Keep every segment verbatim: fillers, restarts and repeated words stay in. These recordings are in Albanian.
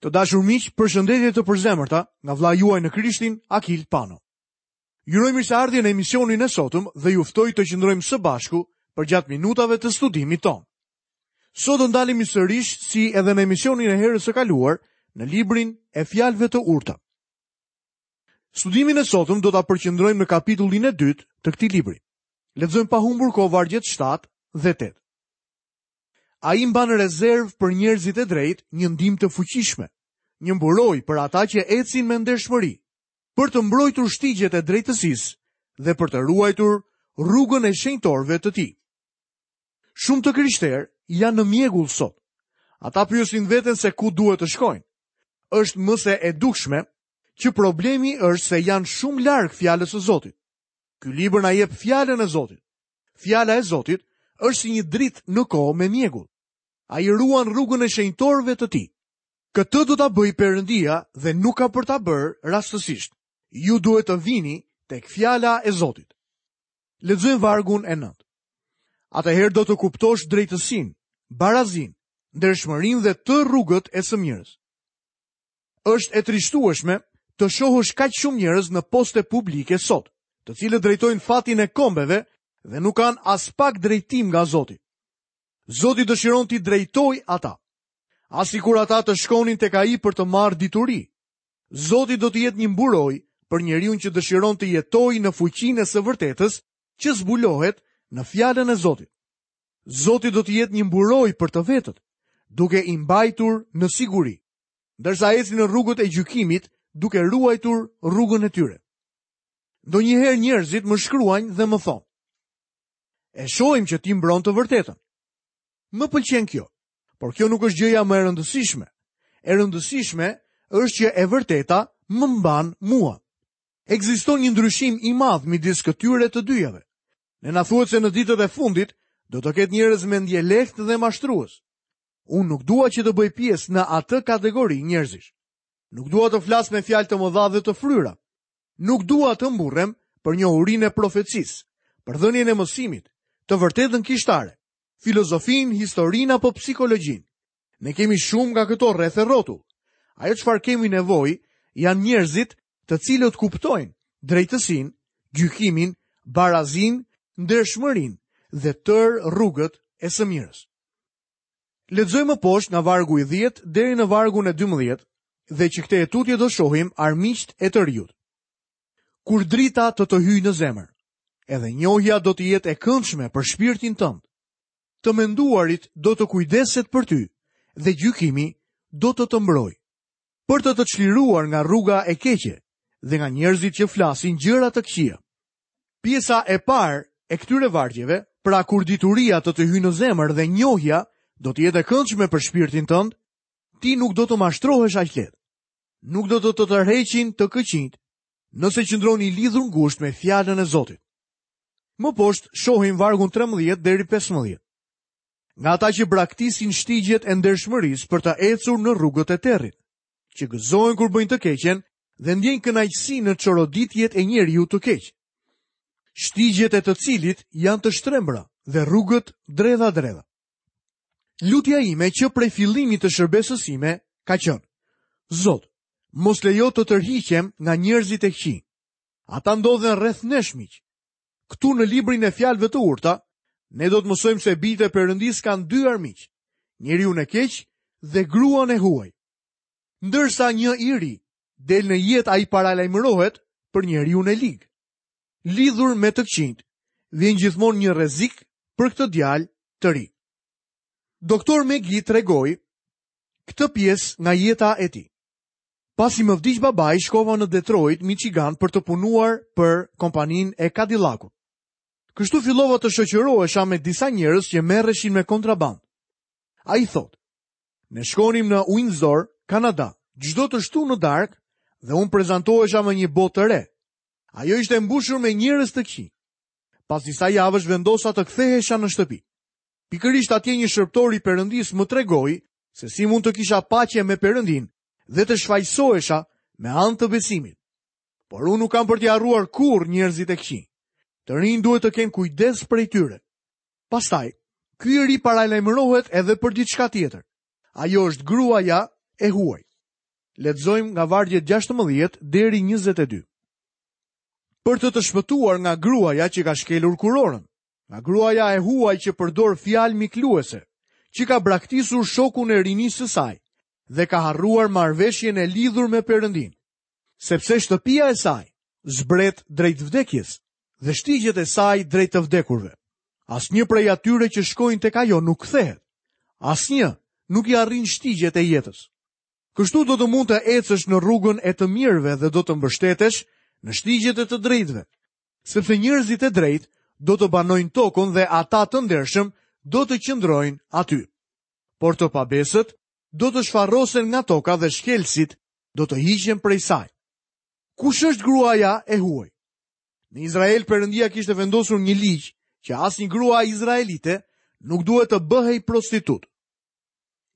Të dashur miq, përshëndetje të përzemërta nga vëllai juaj në Krishtin, Akil Pano. Ju uroj mirëseardhje në emisionin e sotëm dhe ju ftoj të qëndrojmë së bashku përgjatë minutave të studimit tonë. Sot do ndalemi sërish si edhe në emisionin e herës së kaluar në librin e fjalëve të urta. Studimin e sotëm do ta përqendrojmë në kapitullin e dytë të këtij libri. Lexojmë pa humbur kohë vargjet shtatë dhe tetë. Ai mban rezervë për njerëzit e drejtë një ndihmë të fuqishme, një mburojë për ata që ecin me ndershmëri, për të mbrojtur shtigjet e drejtësisë dhe për të ruajtur rrugën e shenjtorëve të tij. Shumë të krishterë janë në mjegull sot. Ata pyesin veten se ku duhet të shkojnë. Është më se e dukshme që problemi është se janë shumë larg fjalës së Zotit. Ky libër na jep fjalën e Zotit. Fjala e Zotit është si një dritë në kohë me mjegull. Ai ruan rrugën e shenjtorëve të tij. Këtë do ta bëj Perëndia dhe nuk ka për ta bërë rastësisht. Ju duhet të vini tek fjala e Zotit. Lexojmë vargun e nëntë. Atëherë do të kuptosh drejtësinë, barazinë, ndershmërinë dhe të rrugët e së mirës. Është e trishtueshme të shohësh kaq shumë njerëz në poste publike sot, të cilët drejtojnë fatin e kombeve dhe nuk kanë as pak drejtim nga Zoti. Zoti dëshiron t'i drejtoj ata. As sikur ata të shkonin tek ai për të marrë dituri. Zoti do të jetë një mburojë për njeriun që dëshiron të jetojë në fuqinë e së vërtetës që zbulohet në fjalën e Zotit. Zoti do të jetë një mburojë për të vetët, duke i mbajtur në siguri, ndërsa ecin në rrugët e gjykimit, duke ruajtur rrugën e tyre. Ndonjëherë njerëzit më shkruajnë dhe më thonë: E shohim që ti mbron të vërtetën. Më pëlqen kjo, por kjo nuk është gjëja më e rëndësishme. E rëndësishme është që e vërteta më mban mua. Ekziston një ndryshim i madh midis këtyre të dyjave. Ne na thuhet se në ditët e fundit do të ketë njerëz mendjelehtë dhe mashtrues. Unë nuk dua që të bëj pjesë në atë kategori njerëzish. Nuk dua të flas me fjalë të mëdha dhe të fryra. Nuk dua të mburrem për njohurinë e profecisë, për dhënien e mësimit, të vërtetën kishtare, filozofinë, historinë apo psikologjinë. Ne kemi shumë nga këto rreth e rrotull. Ajo çfarë kemi nevojë janë njerëzit të cilët kuptojnë drejtësinë, gjykimin, barazinë, ndershmërinë dhe tërë rrugët e së mirës. Lexojmë më poshtë nga vargu i dhjetë deri në vargun e dymbëdhjetë dhe që këtë e tutje do shohim armiqt e të riut. Kur drita të të hyjë në zemër, edhe njohja do të jetë e këndshme për shpirtin tënd. Të menduarit do të kujdeset për ty dhe gjykimi do të të mbrojë, për të të çliruar nga rruga e keqe dhe nga njerëzit që flasin gjëra të këqija. Pjesa e parë e këtyre vargjeve, pra kur dituria të të hyjë në zemër dhe njohja do të jetë e këndshme për shpirtin tënd, ti nuk do të mashtrohesh aq lehtë. Nuk do të të tërheqin të këqinjt, nëse qëndron i lidhur ngushtë me fjalën e Zotit. Më poshtë shohim vargun trembëdhjetë deri pesëmbëdhjetë. Nga ata që braktisin shtigjet e ndershmërisë për të ecur në rrugët e territ, që gëzohen kur bëjnë të keqen dhe ndjejnë kënaqësi në çoroditjet e njeriu të keq. Shtigjet e të cilit janë të shtrembra dhe rrugët dredha-dredha. Lutja ime që prej fillimit të shërbesës sime ka qenë: Zot, mos lejo të tërhiqem nga njerëzit e këqij. Ata ndodhen rreth nesh, miq. Këtu në librin e fjalëve të urta, ne do të mësojmë se bijtë e Perëndisë kanë dy armiq, njeriun e keq dhe gruan e huaj. Ndërsa një i ri del në jetë, ai paralajmërohet për njeriun e lig. Lidhur me të këqinjt, vjen gjithmonë një rrezik për këtë djalë të ri. Doktor McGee tregoi këtë pjesë nga jeta e tij. Pasi më vdiq babai, shkova në Detroit, Michigan për të punuar për kompaninë e Cadillacut. Kështu fillova të shoqërohesha me disa njerëz që merreshin me kontrabandë. Ai thotë: Ne shkonim në Windsor, Kanada, çdo të shtunë në darkë dhe unë prezantohesha me një botë të re. Ajo ishte mbushur me njerëz të këqij. Pas disa javësh vendosa të kthehesha në shtëpi. Pikërisht atje një shërbëtor i Perëndis më tregoi se si mund të kisha paqe me Perëndin dhe të shfajsohesha me anë të besimit. Por unë nuk kam për t'i harruar kurrë njerëzit e këqij. Të rinj duhet të kenë kujdes prej tyre. Pastaj, ky i ri paralajmërohet edhe për diçka tjetër. Ajo është gruaja e huaj. Lexojmë nga vargjet gjashtëmbëdhjetë deri njëzet e dy. Për të të shpëtuar nga gruaja që ka shkelur kurorën, nga gruaja e huaj që përdor fjalë mikluese, që ka braktisur shokun e rinisë së saj dhe ka harruar marrëveshjen e lidhur me Perëndin, sepse shtëpia e saj zbret drejt vdekjes dhe shtigjet e saj drejt të vdekurve. Asnjë prej atyre që shkojnë tek ajo nuk kthehet. Asnjë nuk i arrin shtigjet e jetës. Kështu do të mund të ecësh në rrugën e të mirëve dhe do të mbështetesh në shtigjet e të drejtëve, sepse njerëzit e drejtë do të banojnë tokën dhe ata të ndershëm do të qëndrojnë aty. Por të pabesët do të shfarrosen nga toka dhe shkelësit do të hiqen prej saj. Kush është gruaja e huaj? Në Izrael Perëndia kishte vendosur një ligj që asnjë grua izraelite nuk duhet të bëhej prostitut.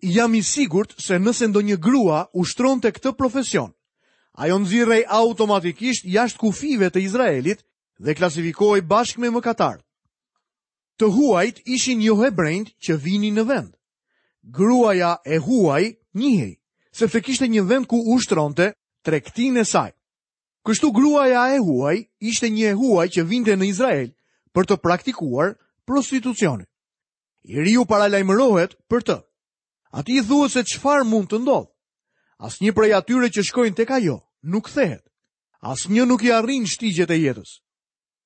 Jam i sigurt se nëse ndonjë grua ushtronte këtë profesion, ajo nxirrej automatikisht jashtë kufijve të Izraelit dhe klasifikohej bashkë me mëkatarët. Të huajt ishin jo hebrejt që vinin në vend. Gruaja e huaj njihej, sepse kishte një vend ku ushtronte tregtinë e saj. Kështu gruaja e huaj ishte një e huaj që vinte në Izrael për të praktikuar prostitucionin. I riu paralajmërohet për të. Ati i thuhet se çfarë mund të ndodhë. Asnjë prej atyre që shkojnë tek ajo nuk kthehet. Asnjë nuk i arrin shtigjet e jetës.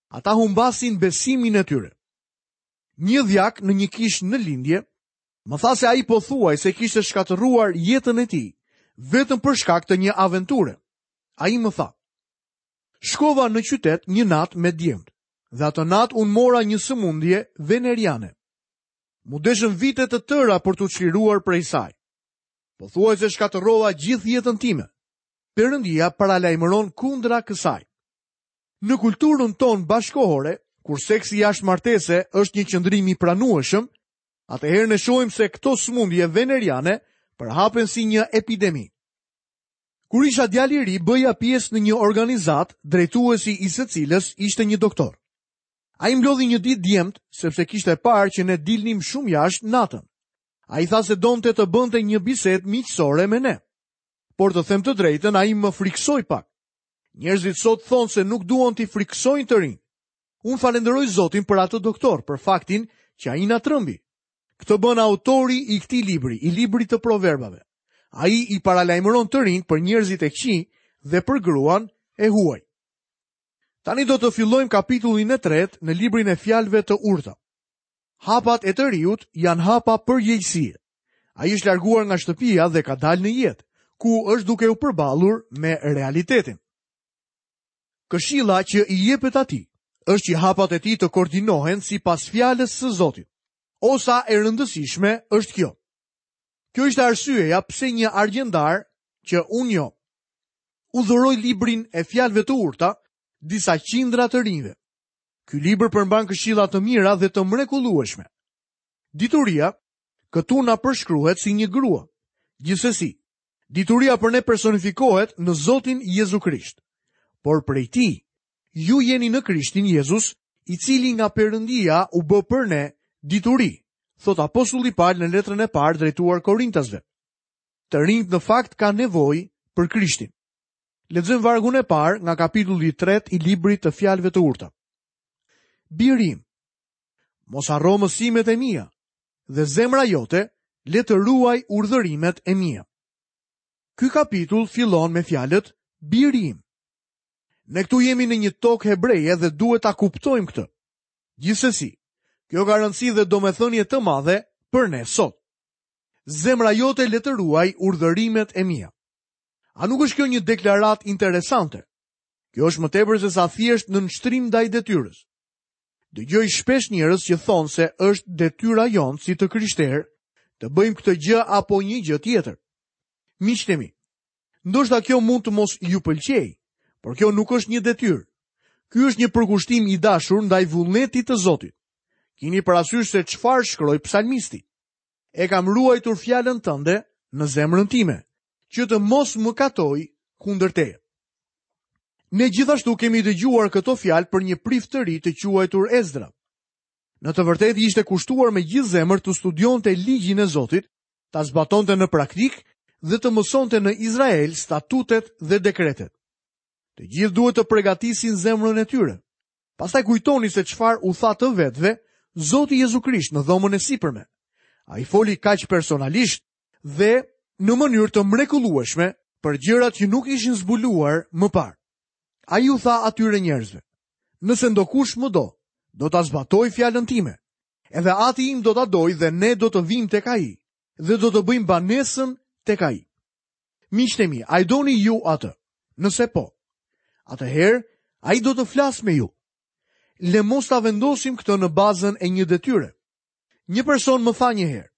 Ata humbasin besimin e tyre. Një dhjak në një kishë në lindje më tha se ai pothuaj se kishte shkatërruar jetën e tij vetëm për shkak të një aventure. Ai më tha: Shkova në qytet një natë me djemt, dhe atë natë unë mora një sëmundje veneriane. Mu deshën vite të tëra për t'u çliruar prej saj. Pothuaj se shkatërrova gjithë jetën time. Perëndia paralajmëron kundra kësaj. Në kulturën tonë bashkohore, kur seksi jashtë martese është një qëndrim i pranueshëm, atëherë ne shohim se këto sëmundje veneriane përhapen si një epidemi. Kur isha djalë i ri, bëja pjesë në një organizatë, drejtuesi i së cilës ishte një doktor. Ai mblodhi një ditë djemt, sepse kishte parë që ne dilnim shumë jashtë natën. Ai tha se donte të bënte një bisedë miqësore me ne. Por të them të drejtën, ai më friksoi pak. Njerëzit sot thonë se nuk duan t'i friksojnë të rinj. Unë falenderoj Zotin për atë doktor, për faktin që ai na trëmbi. Këtë bën autori i këtij libri, i librit të proverbave. Ai i paralajmëron të rinjt për njerëzit e këqij dhe për gruan e huaj. Tani do të fillojmë kapitullin e tretë në librin e fjalëve të urta. Hapat e të riut janë hapa përgjegjësie. Ai është larguar nga shtëpia dhe ka dalë në jetë, ku është duke u përballur me realitetin. Këshilla që i jepet atij është që hapat e tij të koordinohen sipas fjalës së Zotit. Osa e rëndësishme është kjo. Kjo ishte arsyeja pse një argjendar që unë njoh u dhuroi librin e fjalëve të urta disa qindra të rinjve. Ky libër përmban këshilla të mira dhe të mrekullueshme. Dituria këtu na përshkruhet si një grua. Gjithsesi, dituria për ne personifikohet në Zotin Jezu Krisht. Por prej tij, ju jeni në Krishtin Jezus, i cili nga Perëndia u bë për ne dituri, thot apostulli Paul në letrën e parë drejtuar Korintasve. Të rinjt në fakt kanë nevojë për Krishtin. Lexojmë vargun e parë nga kapitulli i tretë i librit të fjalëve të urta. Biri im, mos harro mësimet e mia, dhe zemra jote le të ruaj urdhërimet e mia. Ky kapitull fillon me fjalët biri im. Ne këtu jemi në një tokë hebreje dhe duhet ta kuptojmë këtë. Gjithsesi, kjo ka rëndësi dhe domethënie të madhe për ne sot. Zemra jote le të ruaj urdhërimet e mia. A nuk është kjo një deklaratë interesante? Kjo është më tepër se sa thjesht nënshtrim ndaj detyrës. Dëgjoj shpesh njerëz që thonë se është detyra jonë si të krishterë të bëjmë këtë gjë apo një gjë tjetër. Miqtë e mi, ndoshta kjo mund të mos ju pëlqejë, por kjo nuk është një detyrë. Ky është një përkushtim i dashur ndaj vullnetit të Zotit. Kini parasysh se çfarë shkroi psalmisti. E kam ruajtur fjalën tënde në zemrën time, që të mos mëkatoj kundër teje. Ne gjithashtu kemi dëgjuar këto fjalë për një prift të ri të quajtur Ezdra. Në të vërtetë ishte kushtuar me gjithë zemër të studionte ligjin e Zotit, ta zbatonte në praktikë dhe të mësonte në Izrael statutet dhe dekretet. Të gjithë duhet të përgatisin zemrën e tyre. Pastaj kujtoni se çfarë u tha të vetëve Zoti Jezu Krisht në dhomën e sipërme. Ai foli kaq personalisht dhe në mënyrë të mrekullueshme për gjërat që nuk ishin zbuluar më parë. Ai u tha atyre njerëzve: "Nëse ndokush më do, do ta zbatoj fjalën time. Edhe ati im do ta dojë dhe ne do të vim tek ai dhe do të bëjmë banesën tek ai." Miqtë e mi, a e doni ju atë? Nëse po, atëherë ai do të flasë me ju. Le mos ta vendosim këtë në bazën e një detyre. Një person më tha një herë: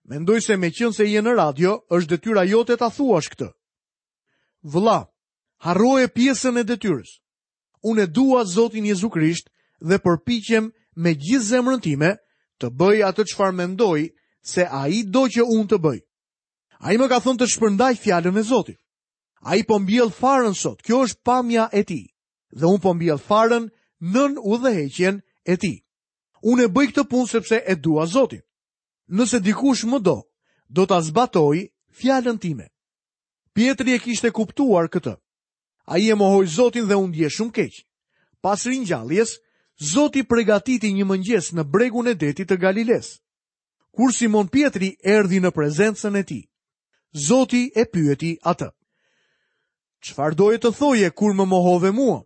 "Mendoj se meqense je në radio, është detyra jote ta thuash këtë." Vëlla, harroje pjesën e detyrës. Unë e dua Zotin Jezu Krisht dhe përpiqem me gjithë zemrën time të bëj atë çfarë mendoj se ai do që unë të bëj. Ai më ka thënë të shpërndaj fjalën e Zotit. Ai po mbjell farën sot, kjo është pamja e tij, dhe unë po mbjell farën nën udhëheqjen e tij. Unë e bëj këtë punë sepse e dua Zotin. Nëse dikush më do, do ta zbatoj fjalën time. Pjetri e kishte kuptuar këtë. Ai e mohoi Zotin dhe u ndje shumë keq. Pas ringjalljes, Zoti përgatiti një mëngjes në bregun e detit të Galiles. Kur Simon Pjetri erdhi në prezencën e tij, Zoti e pyeti atë: "Çfarë doje të thoje kur më mohove mua?"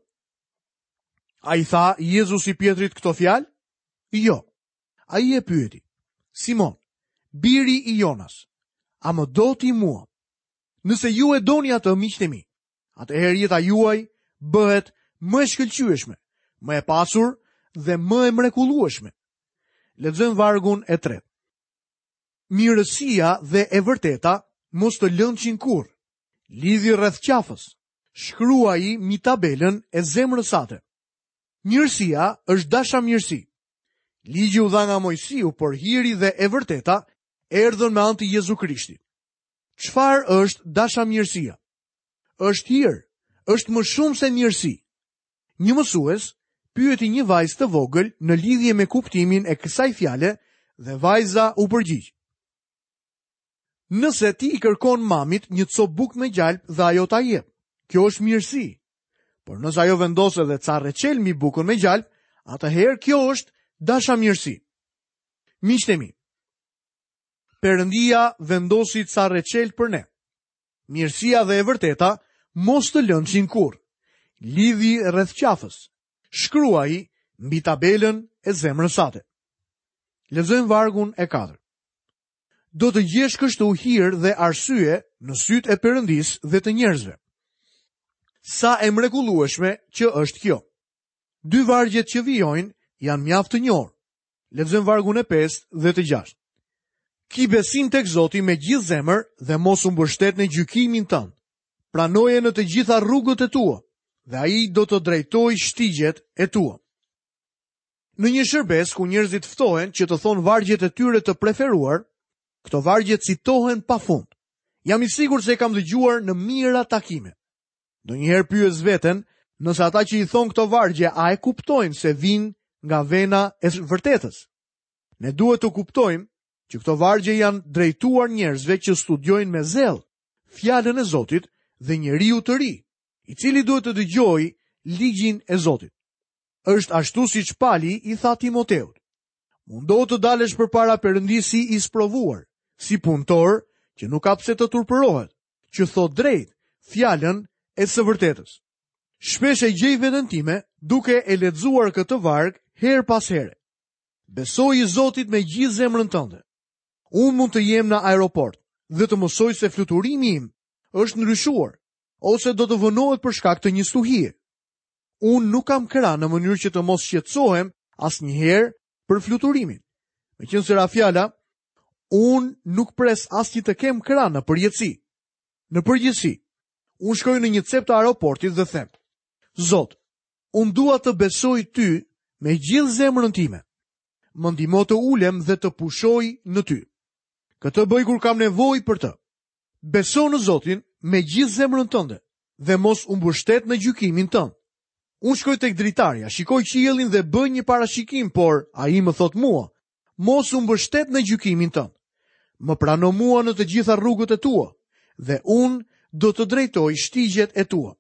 A i tha Jezusi Pjetrit këto fjalë? Jo. Ai e pyeti: "Simon, biri i Jonas, a më do ti mua?" Nëse ju e doni atë, miqtë e mi, atëherë jeta juaj bëhet më e shkëlqyeshme, më e pasur dhe më e mrekullueshme. Lexojmë vargun e tretë. Mirësia dhe e vërteta mos të lënçin kurrë. Lidhi rreth qafës. Shkruaji mbi tabelën e zemrës sate. Mirësia është dashamirësi. Ligji u dha nga Moisiu, por hiri dhe e vërteta erdhën me anë të Jezu Krishtit. Çfarë është dashamirësia? Është hir, është më shumë se mirësi. Një mësues pyeti një vajzë të vogël në lidhje me kuptimin e kësaj fjale dhe vajza u përgjigj: "Nëse ti i kërkon mamit një copë bukë me gjalp dhe ajo ta jep, kjo është mirësi. Por nëse ajo vendos edhe ca reçel mbi bukën me gjalp, atëherë kjo është dashamirësi." Miqtë e mi, Perëndia vendosi ca reçel për ne. Mirësia dhe e vërteta mos të lënçin kurrë. Lidhi rreth qafës. Shkruaj mbi tabelën e zemrës sate. Lexojmë vargun e katërt. Do të gjesh kështu hir dhe arsye në sytë e Perëndisë dhe të njerëzve. Sa e mrekullueshme që është kjo. Dy vargjet që vijojnë janë mjaft të njohur. Lexojmë vargun e pestë dhe të gjashtë. Ki besim tek Zoti me gjithë zemër dhe mos u mbështet në gjykimin tënd. Pranoje në të gjitha rrugët e tua dhe ai do të drejtojë shtigjet e tua. Në një shërbes ku njerëzit ftohen që të thonë vargjet e tyre të preferuar, këto vargje citohen pafund. Jam i sigurt se e kam dëgjuar në mijëra takime. Ndonjëherë pyes veten nëse ata që i thon këto vargje a e kuptojnë se vijnë nga vena e vërtetës. Ne duhet të kuptojmë që këto vargje janë drejtuar njerëzve që studiojnë me zell fjalën e Zotit dhe njeriu të ri, i cili duhet të dëgjojë ligjin e Zotit. Është ashtu siç Pali i tha Timoteut: "Mundohu të dalësh përpara Perëndisë si i sprovuar, si punëtor që nuk ka pse të turpërohet, që thot drejt fjalën e së vërtetës." Shpesh e gjej veten time duke e lexuar këtë varg herë pas here. Besoji Zotit me gjithë zemrën tënde. Unë mund të jem në aeroport dhe të mësoj se fluturimi im është ndryshuar ose do të vonohet për shkak të një stuhie. Unë nuk kam krah në mënyrë që të mos shqetësohem asnjëherë për fluturimin. Meqenëse ra fjala, unë nuk pres asnjë të kem krah në përgjithësi. Në përgjithësi, unë shkoj në një cep të aeroportit dhe them: "Zot, unë dua të besoj ty me gjithë zemrën time. Më ndihmo të ulem dhe të pushoj në ty. Këtë bëj kur kam nevojë për të. Beso në Zotin me gjithë zemrën tënde dhe mos u mbështet në gjykimin tënd." Unë shkoj tek dritarja, shikoj qiellin dhe bëj një parashikim, por ai më thot mua: "Mos u mbështet në gjykimin tënd. Më prano mua në të gjitha rrugët e tua dhe unë do të drejtoj shtigjet e tua.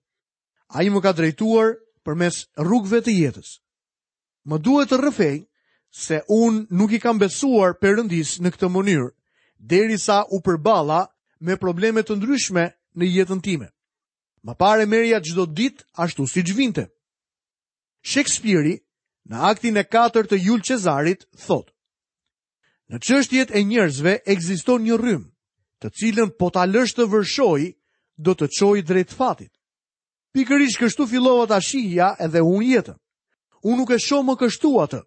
Ai më ka drejtuar përmes rrugëve të jetës. Më duhet të rrëfej se unë nuk i kam besuar Perëndisë në këtë mënyrë, derisa u përballa me probleme të ndryshme në jetën time. Më parë e merrja çdo ditë ashtu siç vinte. Shekspiri, në aktin e katërt të Jul Cezarit, thotë: Në çështjet e njerëzve ekziston një rrymë, të cilën po ta lësh të vërshojë, do të çojë drejt fatit. Pikërisht kështu fillova ta shihja edhe unë jetën. Unë nuk e shoh më kështu atë.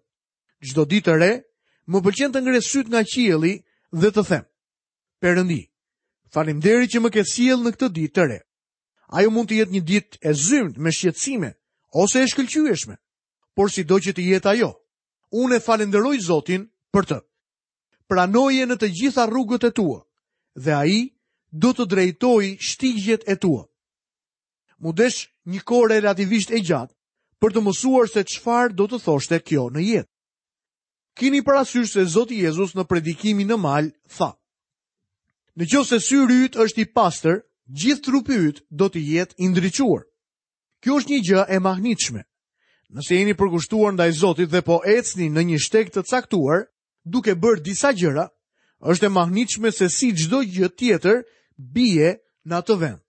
Çdo ditë të re, më pëlqen të ngre syt nga qielli dhe të them: Perëndi, faleminderit që më ke sjellë në këtë ditë të re. Ajo mund të jetë një ditë e zymtë me shqetësime ose e shkëlqyeshme, por sido që të jetë ajo, unë e falenderoj Zotin për të. Pranoje në të gjitha rrugët e tua dhe ai do të drejtojë shtigjet e tua. Mu desh një kohë relativisht e gjatë për të mësuar se çfarë do të thoshte kjo në jetë. Kini parasysh se Zoti Jezus në predikimin në mal tha: Në qoftë se syri yt është i pastër, gjithë trupi yt do të jetë i ndriçuar. Kjo është një gjë e mahnitshme. Nëse jeni përkushtuar ndaj Zotit dhe po ecni në një shteg të caktuar, duke bërë disa gjëra, është e mahnitshme se si çdo gjë tjetër bie në atë vend.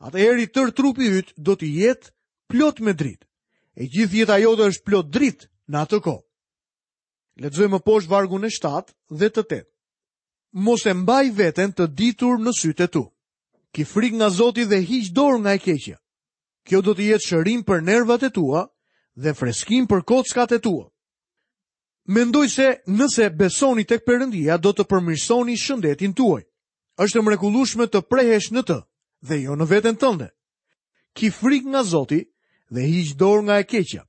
Atëherë i tërë trupi yt do të jetë plot me dritë. E gjithë jeta jote është plot dritë në atë kohë. Lexojmë më poshtë vargun e shtatë dhe të tetë. Mos e mbaj veten të ditur në sytë e tu. Ki frikë nga Zoti dhe hiq dorë nga e keqja. Kjo do të jetë shërim për nervat e tua dhe freskim për kockat e tua. Mendoj se nëse besoni tek Perëndia do të përmirësoni shëndetin tuaj. Është e mrekullueshme të prehesh në të dhe jo në veten tënde. Ki frikë nga Zoti dhe hiq dorë nga e keqja.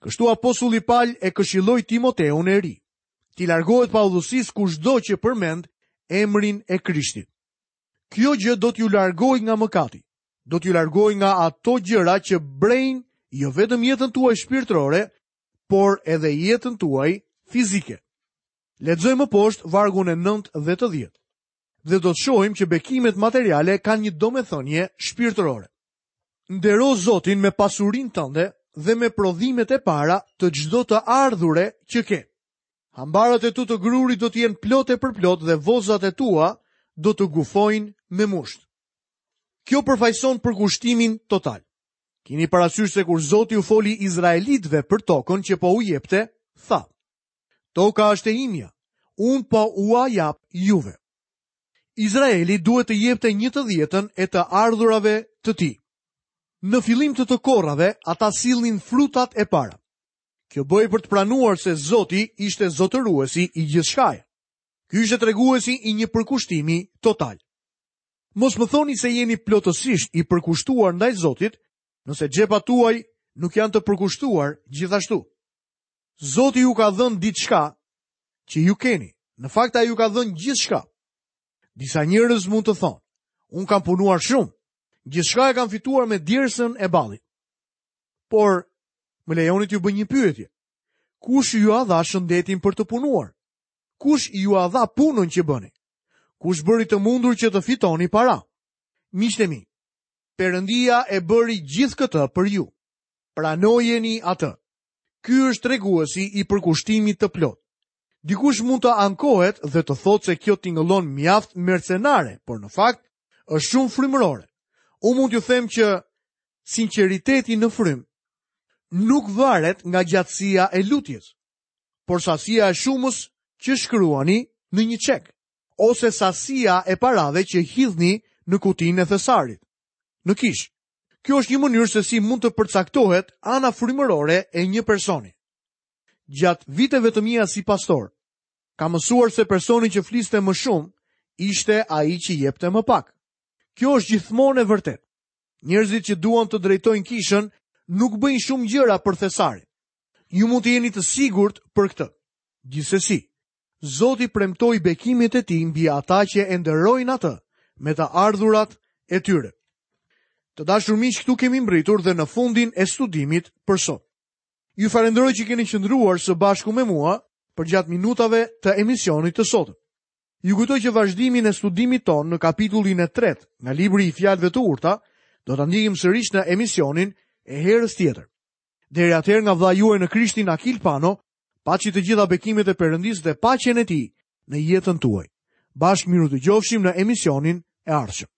Kështu apostulli Paul e këshilloi Timoteun e ri. Ti largohet paudhësisë kushdo që përmend emrin e Krishtit. Kjo gjë do t'ju largojë nga mëkati, do t'ju largojë nga ato gjëra që brejnë jo vetëm jetën tuaj shpirtërore, por edhe jetën tuaj fizike. Lexojmë më poshtë vargun e nëntë dhe të dhjetë. Dhe do të shohim që bekimet materiale kanë një domethënie shpirtërore. Ndero Zotin me pasurinë tënde dhe me prodhimet e para të çdo të ardhure që ke. Hambarët e tu të grurit do të jenë plot e përplot dhe vozat e tua do të gufojnë me musht. Kjo përfaqëson përkushtimin total. Kini parasysh se kur Zoti u foli izraelitëve për tokën që po u jepte, tha: Toka është e imja, unë po ua jap juve. Izraeli duhet të jepte një të dhjetën e të ardhurave të tij. Në fillim të të korrave, ata sillnin frutat e para. Kjo bëhej për të pranuar se Zoti ishte zotëruesi i gjithçkaje. Ky ishte treguesi i një përkushtimi total. Mos më thoni se jeni plotësisht i përkushtuar ndaj Zotit, nëse xhepat tuaj nuk janë të përkushtuar gjithashtu. Zoti ju ka dhënë diçka që ju keni. Në fakt ai ju ka dhënë gjithçka. Disa njerëz mund të thonë: unë kam punuar shumë, gjithçka e kam fituar me djersën e ballit. Por më lejoni t'ju bëj një pyetje. Kush ju a dha shëndetin për të punuar? Kush ju a dha punën që bëni? Kush bëri të mundur që të fitoni para? Miqtë e mi, Perëndia e bëri gjithë këtë për ju. Pranojeni atë. Ky është treguesi i përkushtimit të plot. Dikush mund të ankohet dhe të thotë se kjo tingëllon mjaft mercenare, por në fakt është shumë frymërore. Unë mund t'ju them që sinqeriteti në frymë nuk varet nga gjatësia e lutjes, por sasia e shumës që shkruani në një çek, ose sasia e parave që hidhni në kutinë e thesarit, në kish. Kjo është një mënyrë se si mund të përcaktohet ana frymërore e një personi. Gjatë viteve të mia si pastor, kam mësuar se personi që fliste më shumë ishte ai që jepte më pak. Kjo është gjithmonë e vërtetë. Njerëzit që duan të drejtojnë kishën nuk bëjnë shumë gjëra për thesarin. Ju mund të jeni të sigurt për këtë. Gjithsesi, Zoti premtoi bekimet e tij mbi ata që e nderojnë atë me të ardhurat e tyre. Të dashur miq, këtu kemi mbritur dhe në fundin e studimit për sot. Ju falenderoj që keni qëndruar së bashku me mua përgjatë minutave të emisionit të sotëm. Ju kujtoj që vazhdimin e studimit tonë në kapitullin e tretë nga libri i Fjalëve të Urta do ta ndjekim sërish në emisionin e herës tjetër. Deri atëherë nga vëllai juaj në Krishtin Akil Pano, paçi të gjitha bekimet e Perëndisë dhe paqen e tij në jetën tuaj. Bashkë mirudëgjofshim në emisionin e ardhshëm.